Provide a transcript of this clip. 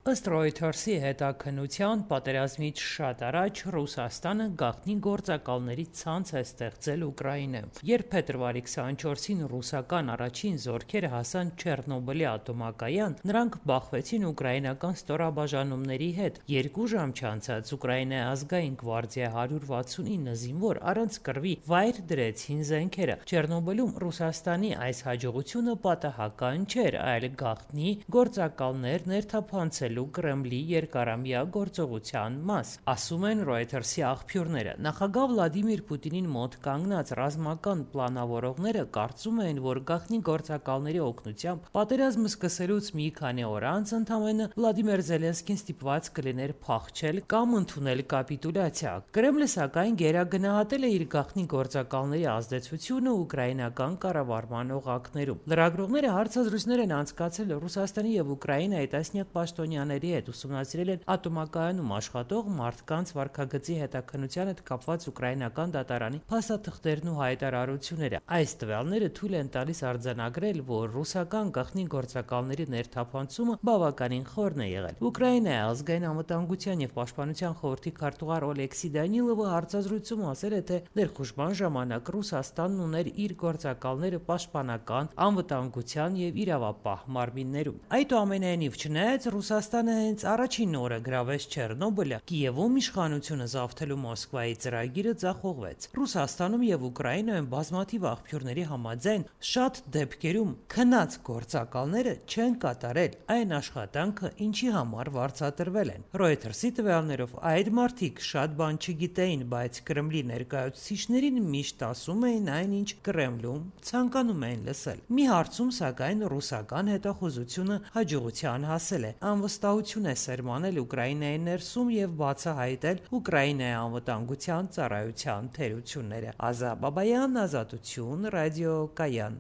Ըստ Reuters-ի հետաքննության, պատերազմից շատ առաջ Ռուսաստանը գաղտնի գործակալների ցանց է ստեղծել Ուկրաինայում։ Երբ փետրվարի 24-ին ռուսական առաջին զորքերը հասան Չեռնոբիլի ատոմակայան, նրանք բախվեցին ուկրաինական ստորաբաժանումների հետ։ 2 ժամ չանցած Ուկրաինայի ազգային գվարդիայի 169 զինվոր առանց կռվի վայր դրեցին զենքերը։ Չեռնոբիլում Ռուսաստանի այս հաջողությունը պատահական չէր, այլ գաղտնի գործակալներ ներթափանցելու Կրեմլի երկարամյա գործողության մաս, ասում են Reuters-ի աղբյուրները։ Նախագահ Վլադիմիր Պուտինին մոտ կանգնած ռազմական պլանավորողները կարծում էին, որ գաղտնի գործակալների օգնությամբ պատերազմը սկսելուց մի քանի օր անց ընդամենը Վլադիմիր Զելենսկին ստիպված կլիներ փախչել կամ ընդունել կապիտուլյացիա։ Կրեմլը սակայն գերագնահատել է իր գաղտնի գործակալների ազդեցությունը ուկրաինական կառավարման օղակներում։ Լրագրողները հարցազրույցներ են անցկացրել Ռուսաստանի եւ Ուկրաինայի տասնյակ պաշտոնյաների հետ, ուսումնասիրել են ատոմակայանում աշխատող մարդկանց վարքագծի հետաքննության հետ կապված ուկրաինական դատարանի փաստաթղթերն ու հայտարարությունները։ Այս տվյալները թույլ են տալիս արձանագրել, որ ռուսական գաղտնի գործակալների ներթափանցումը բավականին խորն է եղել։ Ուկրաինայի ազգային անվտանգության եւ պաշտպանության խորհրդի քարտուղար Օլեքսի Դանիլովը հարցազրույցում ասել է, թե ներխուժման ժամանակ Ռուսաստանն ուներ իր գործակալները պաշտպանական, անվտանգության եւ իրավապահ մարմիններում։ Այդուամենայնիվ, չնայած Ռուսաստանը հենց առաջին օրը գրավեց Չեռնոբիլը, Կիևում իշխանությունը զավթելու Մոսկվայի ծրագիրը ձախողվեց։ Ռուսաստանում եւ Ուկրաինայում բազմաթիվ աղբյուրների համաձայն շատ դեպքերում քնած գործակալները չեն կատարել այն աշխատանքը, ինչի համար վարձատրվել են։ Reuters-ի տվյալներով այդ մարդիկ շատ բան չգիտեին, բայց Կրեմլի ներկայացուցիչներին միշտ ասում էին այն, ինչ Կրեմլում ցանկանում էին լսել։ Մի հարցում, սակայն, ռուսական հետախուզությունը հաջողության հասել է։ Անվստահություն է սերմանել Ուկրաինայի ներսում եւ բացահայտել Ուկրաինայի անվտանգության ծառայության թերությունները։ Ազա Բաբայան, Ազատություն, Ռադիո Կայան։